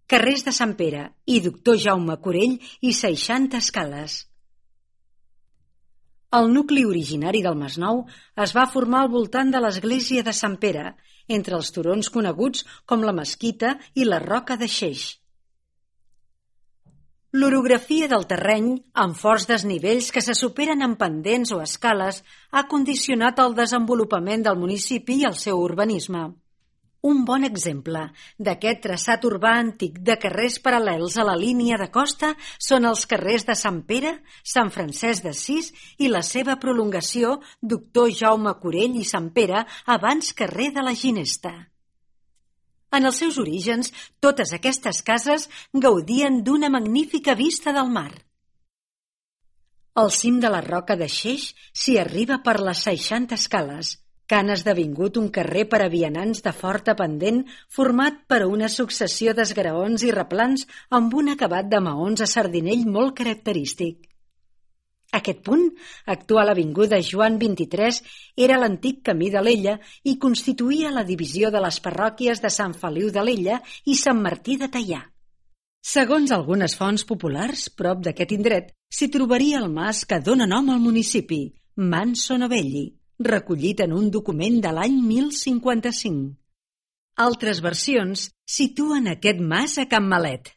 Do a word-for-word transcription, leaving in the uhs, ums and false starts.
carrers de Sant Pere i Doctor Jaume Corell i seixanta escales. El nucli originari del Masnou es va formar al voltant de l'església de Sant Pere, entre els turons coneguts com la Mesquita i la Roca de Xeix. L'orografia del terreny, amb forts desnivells que se superen en pendents o escales, ha condicionat el desenvolupament del municipi i el seu urbanisme. Un bon exemple d'aquest traçat urbà antic de carrers paral·lels a la línia de costa són els carrers de Sant Pere, Sant Francesc d'Assís i la seva prolongació Doctor Jaume Corell i Sant Pere, abans carrer de la Ginesta. En els seus orígens, totes aquestes cases gaudien d'una magnífica vista del mar. Al cim de la Roca de Xeix s'hi arriba per les seixanta escales, que han esdevingut un carrer per a vianants de forta pendent format per una successió d'esgraons i replans amb un acabat de maons a sardinell molt característic. Aquest punt, actual avinguda Joan vint-i-tres, era l'antic camí d'Alella i constituïa la divisió de les parròquies de Sant Feliu d'Alella i Sant Martí de Teià. Segons algunes fonts populars, prop d'aquest indret, s'hi trobaria el mas que dóna nom al municipi, Manso Novelli, recollit en un document de l'any mil cinquanta-cinc. Altres versions situen aquest mas a Can Malet,